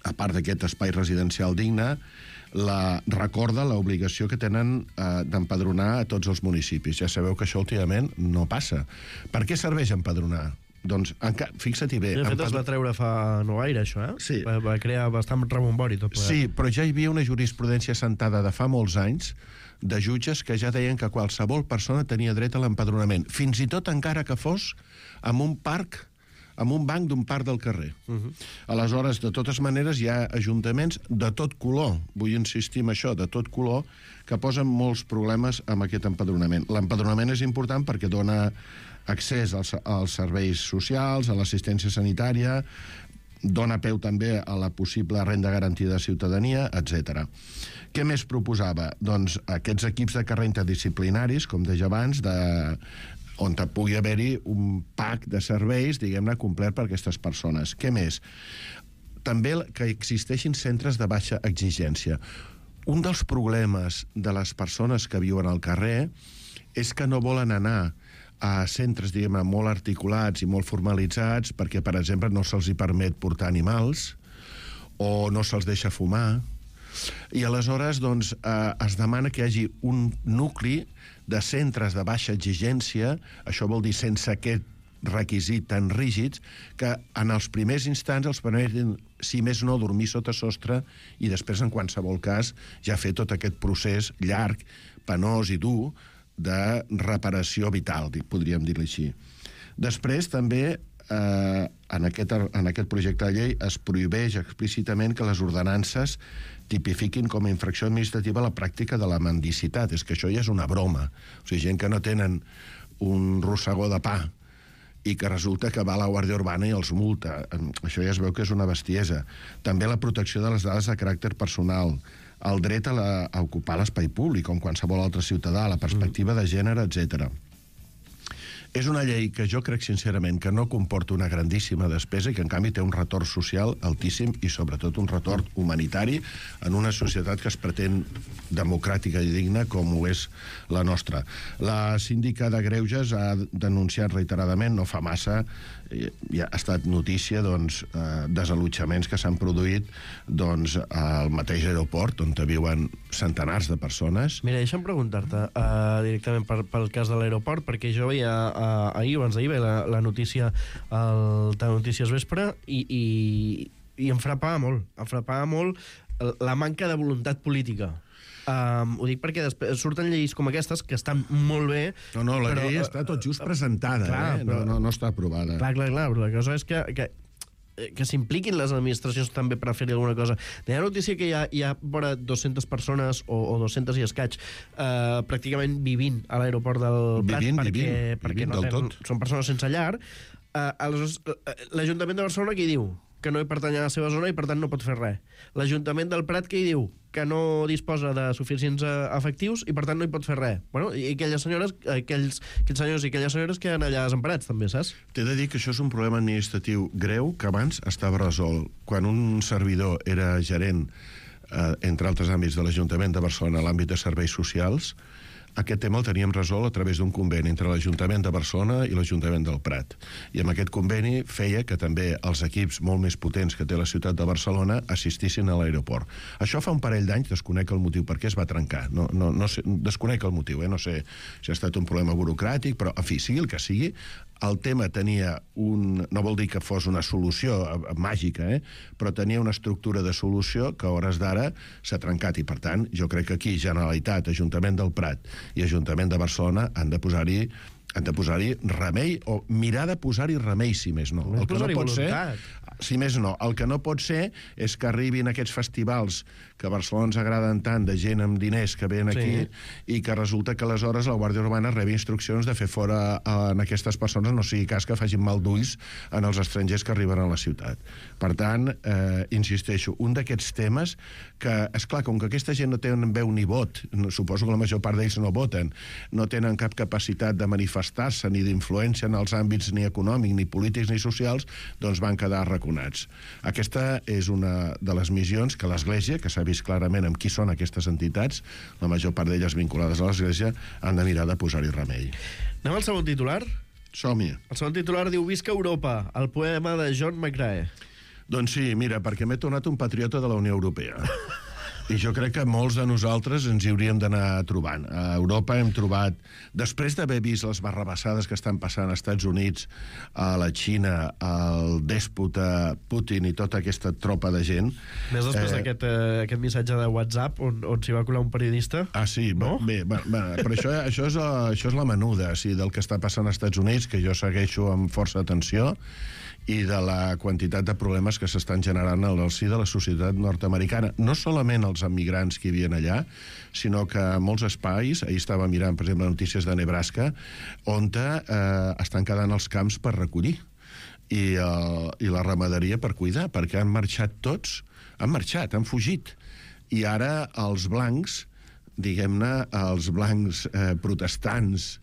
a part d'aquest espai residencial digne, recorda l'obligació que tenen d'empadronar a tots els municipis. Ja sabeu que això últimament no passa. Per què serveix empadronar? Doncs, fixa-t'hi bé... De fet, es va treure fa no gaire, això, eh? Sí. Va crear bastant rebombori tot plegat. Sí, però ja hi havia una jurisprudència sentada de fa molts anys de jutges que ja deien que qualsevol persona tenia dret a l'empadronament, fins i tot encara que fos en un parc, en un banc d'un parc del carrer. Aleshores, de totes maneres, hi ha ajuntaments de tot color, vull insistir en això, de tot color, que posen molts problemes amb aquest empadronament. L'empadronament és important perquè dona accés als serveis socials, a l'assistència sanitària, dona peu també a la possible renda garantida de ciutadania, etc. Què més proposava? Doncs aquests equips de carrer interdisciplinaris, com deia abans, on pugui haver-hi un pack de serveis, diguem-ne, complet per a aquestes persones. Què més? També que existeixin centres de baixa exigència. Un dels problemes de les persones que viuen al carrer és que no volen anar a centres, diguem-ne, molt articulats i molt formalitzats perquè, per exemple, no se'ls hi permet portar animals o no se'ls deixa fumar. I aleshores, doncs, es demana que hi hagi un nucli de centres de baixa exigència, això vol dir sense aquest requisit tan rígids, que en els primers instants els permetin, si més no, dormir sota sostre i després, en qualsevol cas, ja fer tot aquest procés llarg, penós i dur de reparació vital, podríem dir-li així. Després, també, en aquest projecte de llei es prohibeix explícitament que les ordenances tipifiquin com a infracció administrativa la pràctica de la mendicitat. És que això ja és una broma. O sigui, gent que no tenen un rossegó de pa i que resulta que va a la Guàrdia Urbana i els multa. Això ja es veu que és una bestiesa. També la protecció de les dades de caràcter personal, el dret a ocupar l'espai públic, com qualsevol altre ciutadà, la perspectiva de gènere, etc. És una llei que jo crec sincerament que no comporta una grandíssima despesa i que en canvi té un retorn social altíssim i sobretot un retorn humanitari en una societat que es pretén democràtica i digna com ho és la nostra. La síndica de Greuges ha denunciat reiteradament, no fa massa, ja ha estat notícia, doncs, desallotjaments que s'han produït, doncs, al mateix aeroport on viuen centenars de persones. Mira, deixa'm preguntar-te directament pel cas de l'aeroport, perquè jo veia ahir, abans d'ahir, la notícia al Telenotícies Vespre i em frapava molt la manca de voluntat política. Ho dic perquè després surten lleis com aquestes que estan molt bé. No, la llei està tot just presentada, clar, no està aprovada. Clar, però la cosa és que s'impliquin les administracions també per fer-hi alguna cosa. Hi ha notícia que hi ha vora 200 persones o 200 i escaig pràcticament vivint a l'aeroport del Prat perquè no tenen, són persones sense llar. Aleshores, l'Ajuntament de Barcelona què hi diu? Que no hi pertany a la seva zona i per tant no pot fer res. L'Ajuntament del Prat què hi diu? Que no disposa de suficients efectius i per tant no hi pot fer res. Bueno, i aquelles senyores, aquells senyors i aquelles senyores queden allà desemparats també, saps? T'he de dir que això és un problema administratiu greu que abans estava resolt. Quan un servidor era gerent, entre altres àmbits de l'Ajuntament de Barcelona, a l'àmbit de serveis socials, aquest tema el teníem resolt a través d'un conveni entre l'Ajuntament de Barcelona i l'Ajuntament del Prat. I amb aquest conveni feia que també els equips molt més potents que té la ciutat de Barcelona assistissin a l'aeroport. Això fa un parell d'anys, desconec el motiu per què es va trencar. No sé, desconec el motiu, no sé si ha estat un problema burocràtic, però, en fi, sigui el que sigui, el tema tenia no vol dir que fos una solució màgica, però tenia una estructura de solució que a hores d'ara s'ha trencat i, per tant, jo crec que aquí Generalitat, Ajuntament del Prat i Ajuntament de Barcelona han de posar-hi remei o mirar de posar-hi remei, si més no. El que no pot ser... Si més no. El que no pot ser és que arribin aquests festivals que a Barcelona ens agraden tant, de gent amb diners que ven aquí, i que resulta que aleshores la Guàrdia Urbana rebi instruccions de fer fora en aquestes persones, no sigui cas que facin mal d'ulls en els estrangers que arriben a la ciutat. Per tant, insisteixo, un d'aquests temes que, esclar, com que aquesta gent no tenen veu ni vot, suposo que la major part d'ells no voten, no tenen cap capacitat de manifestar-se ni d'influència en els àmbits ni econòmics, ni polítics, ni socials, doncs van quedar arraconats. Aquesta és una de les missions que l'Església, que s'ha vist clarament amb qui són aquestes entitats, la major part d'elles vinculades a l'Església, han de mirar de posar-hi remei. Anem al segon titular? Som-hi. El segon titular diu Visca Europa, el poema de John McCrae. Doncs sí, mira, perquè m'he tornat un patriota de la Unió Europea. I jo crec que molts de nosaltres ens hi hauríem d'anar trobant. A Europa hem trobat, després d'haver vist les barrabassades que estan passant als Estats Units, a la Xina, al dèspota Putin i tota aquesta tropa de gent... Més després d'aquest missatge de WhatsApp on s'hi va colar un periodista. Ah, sí? No? Bé, però això és la menuda, del que està passant als Estats Units, que jo segueixo amb força atenció, i de la quantitat de problemes que s'estan generant al si de la societat nord-americana. No solament els emigrants que hi havia allà, sinó que molts espais, ahir estava mirant, per exemple, notícies de Nebraska, on estan quedant els camps per recollir i la ramaderia per cuidar, perquè han marxat tots, han fugit. I ara els blancs, diguem-ne, els blancs protestants,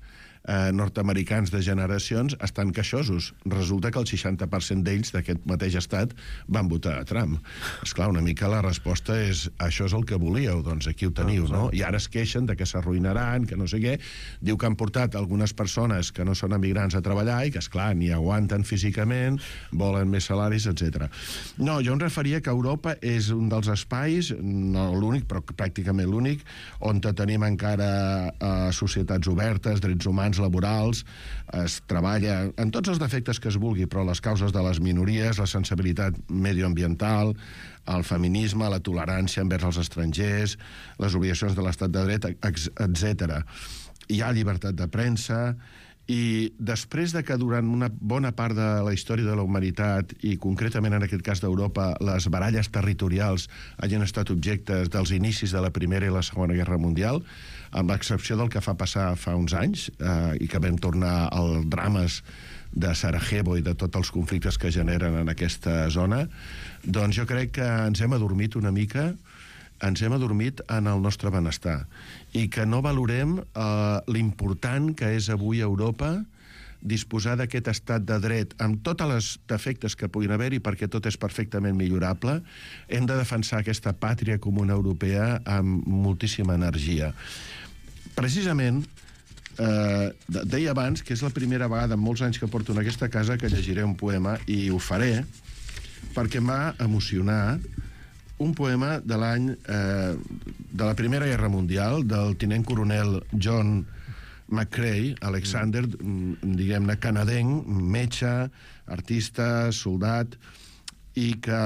nord-americans de generacions estan queixosos. Resulta que el 60% d'ells d'aquest mateix estat van votar a Trump. Esclar, una mica la resposta és això és el que volíeu, doncs aquí ho teniu, no? I ara es queixen de que s'arruïnaran, que no sé què. Diu que han portat algunes persones que no són emigrants a treballar i que, esclar, ni aguanten físicament, volen més salaris, etc. No, jo em referia que Europa és un dels espais, no l'únic, però pràcticament l'únic, on tenim encara societats obertes, drets humans, laborals, es treballa en tots els defectes que es vulgui, però les causes de les minories, la sensibilitat medioambiental, el feminisme, la tolerància envers els estrangers, les obligacions de l'estat de dret, etc. Hi ha llibertat de premsa, i després de que durant una bona part de la història de la humanitat, i concretament en aquest cas d'Europa, les baralles territorials hagin estat objectes dels inicis de la Primera i la Segona Guerra Mundial, amb l'excepció del que fa passar fa uns anys, i que vam tornar als drames de Sarajevo i de tots els conflictes que generen en aquesta zona, doncs jo crec que ens hem adormit una mica, ens hem adormit en el nostre benestar i que no valorem l'important que és avui a Europa disposar d'aquest estat de dret amb tots els defectes que puguin haver-hi, perquè tot és perfectament millorable. Hem de defensar aquesta pàtria comuna europea amb moltíssima energia. Precisament, deia abans que és la primera vegada en molts anys que porto en aquesta casa que llegiré un poema, i ho faré perquè em va emocionar un poema de l'any de la Primera Guerra Mundial, del tinent coronel John McCrae, Alexander, diguem-ne, canadenc, metge, artista, soldat, i que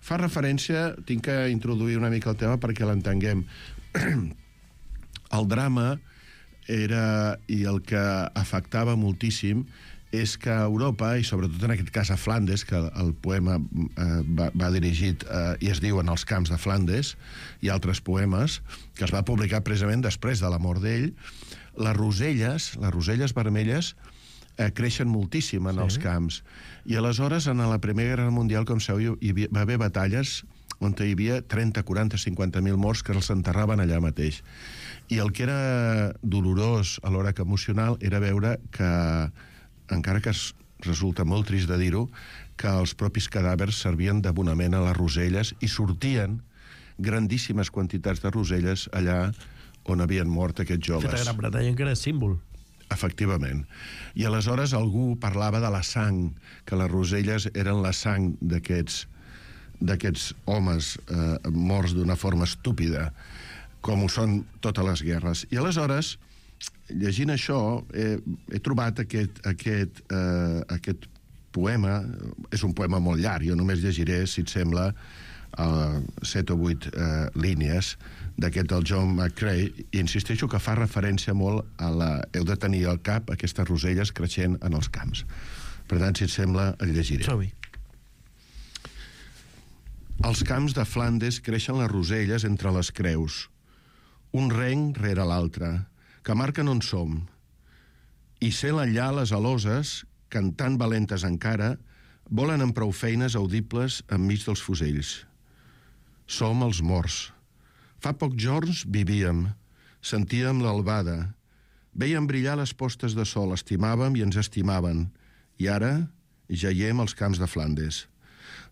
fa referència, tinc que introduir una mica el tema perquè l'entenguem. El drama era, i el que afectava moltíssim, és que a Europa, i sobretot en aquest cas a Flandes, que el poema va dirigit i es diu En els camps de Flandes, i altres poemes, que es va publicar precisament després de la mort d'ell, les roselles vermelles creixen moltíssim en els camps. I aleshores, en la Primera Guerra Mundial, com sabeu, hi va haver batalles on hi havia 30, 40, 50.000 morts que els enterraven allà mateix. I el que era dolorós, alhora que emocional, era veure que, encara que resulta molt trist de dir-ho, que els propis cadàvers servien d'abonament a les roselles i sortien grandíssimes quantitats de roselles allà on havien mort aquests joves. Aquesta Gran Bretanya encara és símbol. Efectivament. I aleshores algú parlava de la sang, que les roselles eren la sang d'aquests homes morts d'una forma estúpida, com ho són totes les guerres. I aleshores, llegint això, he trobat aquest poema. És un poema molt llarg, jo només llegiré, si et sembla, 7 o 8 línies d'aquest del John McCrae, i insisteixo que fa referència molt a heu de tenir al cap aquestes roselles creixent en els camps. Per tant, si et sembla, el llegiré. Som-hi. Als camps de Flandes creixen les roselles entre les creus. Un renc rere l'altre, que marquen on som. I sent enllà les aloses, cantant valentes encara, volen amb prou feines audibles enmig dels fusells. Som els morts. Fa pocs jorns vivíem, sentíem l'albada, veiem brillar les postes de sol, estimàvem i ens estimaven, i ara jaiem als camps de Flandes.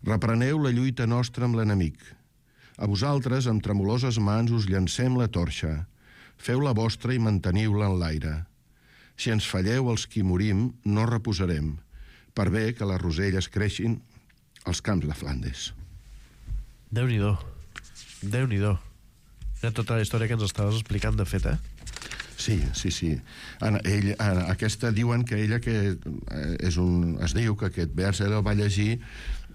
Repreneu la lluita nostra amb l'enemic. A vosaltres, amb tremoloses mans, us llancem la torxa. Feu la vostra i manteniu-la en l'aire. Si ens falleu els qui morim, no reposarem, per bé que les roselles creixin als camps de Flandes. Déu-n'hi-do. Déu-n'hi-do. Era tota la història que ens estaves explicant, de fet, Sí. Aquesta diuen que ella es diu que aquest vers ella el va llegir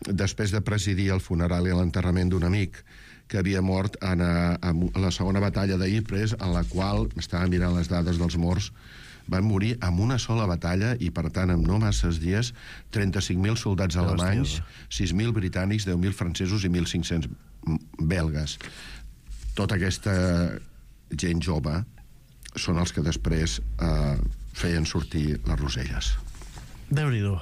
després de presidir el funeral i l'enterrament d'un amic que havia mort a la segona batalla de Ypres, en la qual, estava mirant les dades dels morts, van morir en una sola batalla i, per tant, en no masses dies, 35.000 soldats alemanys, 6.000 britànics, 10.000 francesos i 1.500 belgues. Tota aquesta gent jove són els que després feien sortir les roselles. Déu-n'hi-do.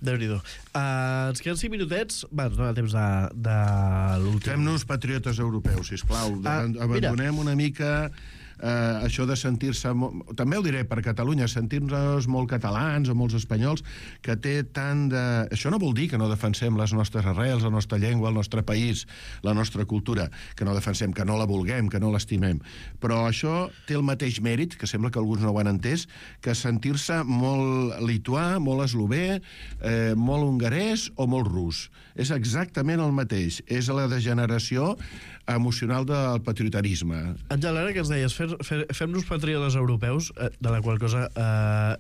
Déu-n'hi-do. Ens queden 5 minutets. Va, ens dona temps de l'últim. Fem-nos patriotes europeus, sisplau. Abandonem una mica això de sentir-se... També ho diré per Catalunya, sentir-nos molt catalans o molts espanyols, que té tant de... Això no vol dir que no defensem les nostres arrels, la nostra llengua, el nostre país, la nostra cultura, que no defensem, que no la vulguem, que no l'estimem. Però això té el mateix mèrit, que sembla que alguns no ho han entès, que sentir-se molt lituà, molt eslové, molt hongarès o molt rus. És exactament el mateix. És la degeneració emocional del patriotarisme. Àngel, ara que ens deies, fem-nos patriotes europeus, de la qual cosa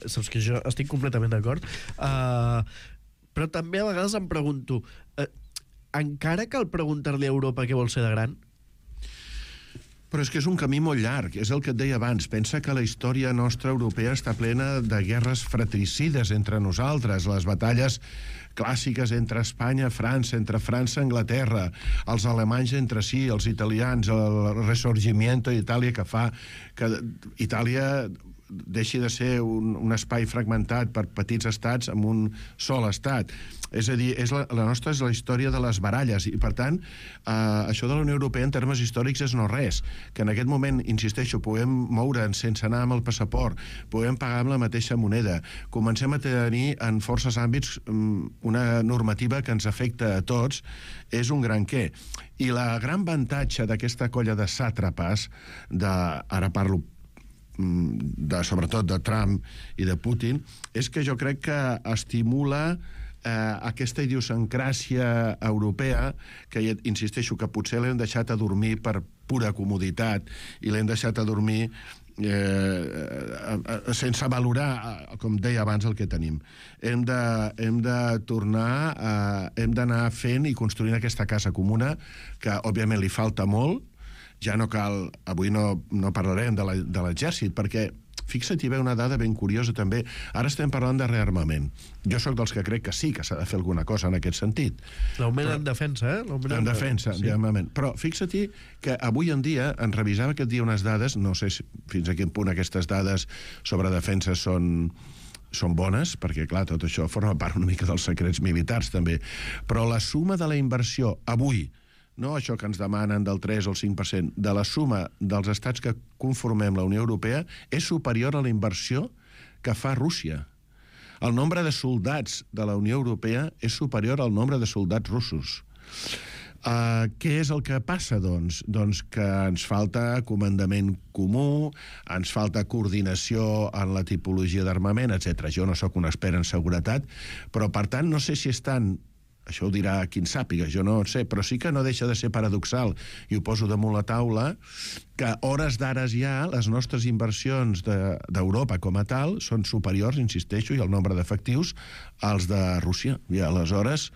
saps que jo estic completament d'acord, però també a vegades em pregunto, encara cal preguntar-li a Europa què vol ser de gran? Però és que és un camí molt llarg, és el que et deia abans. Pensa que la història nostra europea està plena de guerres fratricides entre nosaltres, les batalles clàssiques entre Espanya, França, entre França i Anglaterra, els alemanys entre si, els italians, el Risorgimento d'Itàlia que fa que Itàlia deixi de ser un espai fragmentat per petits estats amb un sol estat. És a dir, la nostra és la història de les baralles i, per tant, això de la Unió Europea en termes històrics és no res. Que en aquest moment, insisteixo, puguem moure'ns sense anar amb el passaport, puguem pagar amb la mateixa moneda, comencem a tenir en forces àmbits una normativa que ens afecta a tots, és un gran què. I la gran avantatge d'aquesta colla de sàtrapes, ara parlo sobretot de Trump i de Putin, és que jo crec que estimula aquesta idiosincràsia europea que, insisteixo, que potser l'hem deixat a dormir per pura comoditat i l'hem deixat a dormir sense valorar, com deia abans, el que tenim. Hem de tornar, hem d'anar fent i construint aquesta casa comuna que, òbviament, li falta molt. Ja no cal... Avui no parlarem de l'exèrcit, perquè fixa't, hi ve una dada ben curiosa també. Ara estem parlant de rearmament. Jo sóc dels que crec que sí que s'ha de fer alguna cosa en aquest sentit. L'augment en defensa, En defensa, sí. Però fixa't que avui en dia, en revisava aquest dia unes dades, no sé fins a quin punt aquestes dades sobre defensa són bones, perquè, clar, tot això forma part una mica dels secrets militars, també. Però la suma de la inversió avui, no això que ens demanen del 3 o el 5%, de la suma dels estats que conformem la Unió Europea és superior a la inversió que fa Rússia. El nombre de soldats de la Unió Europea és superior al nombre de soldats russos. Què és el que passa, doncs? Doncs que ens falta comandament comú, ens falta coordinació en la tipologia d'armament, etc. Jo no sóc un expert en seguretat, però, per tant, no sé si estan... Això ho dirà qui en sàpiga, jo no ho sé, però sí que no deixa de ser paradoxal, i ho poso damunt la taula, que hores d'ares ja les nostres inversions d'Europa com a tal són superiors, insisteixo, i el nombre d'efectius als de Rússia. I aleshores,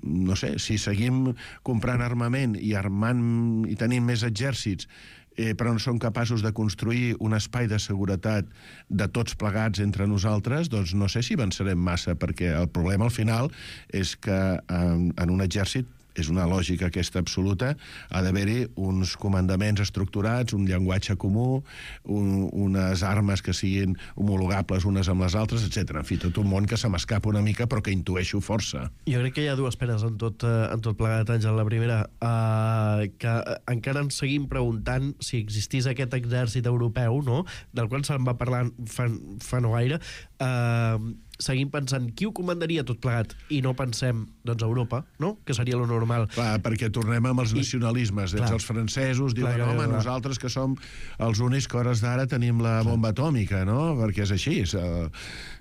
no sé, si seguim comprant armament i armant i tenint més exèrcits, però no som capaços de construir un espai de seguretat de tots plegats entre nosaltres, doncs no sé si avançarem massa, perquè el problema al final és que en un exèrcit és una lògica aquesta absoluta, ha d'haver-hi uns comandaments estructurats, un llenguatge comú, unes armes que siguin homologables unes amb les altres, etc. En fi, tot un món que se m'escapa una mica, però que intueixo força. Jo crec que hi ha dues penes en tot plegat, Àngel. La primera, que encara ens seguim preguntant si existís aquest exèrcit europeu, no?, del qual se'n va parlar fa no gaire, seguim pensant qui ho comandaria tot plegat i no pensem, doncs, Europa, no?, que seria lo normal. Clar, perquè tornem amb els nacionalismes. Els francesos diuen, home, nosaltres que som els únics que hores d'ara tenim la bomba atòmica, no?, perquè és així.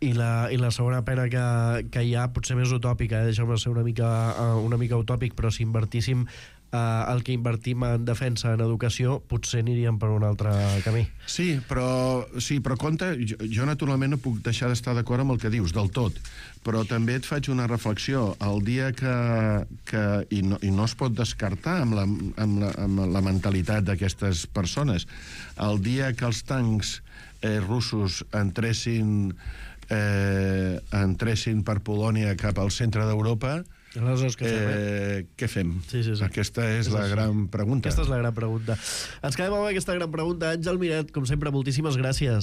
I la segona pena que hi ha, potser més utòpica, deixeu-me ser una mica utòpic, però si invertíssim el que invertim en defensa, en educació, potser aniríem per un altre camí. Sí, però compte, jo naturalment no puc deixar d'estar d'acord amb el que dius, del tot, però també et faig una reflexió. El dia i no es pot descartar amb la mentalitat d'aquestes persones, el dia que els tancs russos entressin per Polònia cap al centre d'Europa, què fem? Sí. Aquesta és la gran pregunta. Aquesta és la gran pregunta. Ens quedem amb aquesta gran pregunta. Àngel Miret, com sempre, moltíssimes gràcies.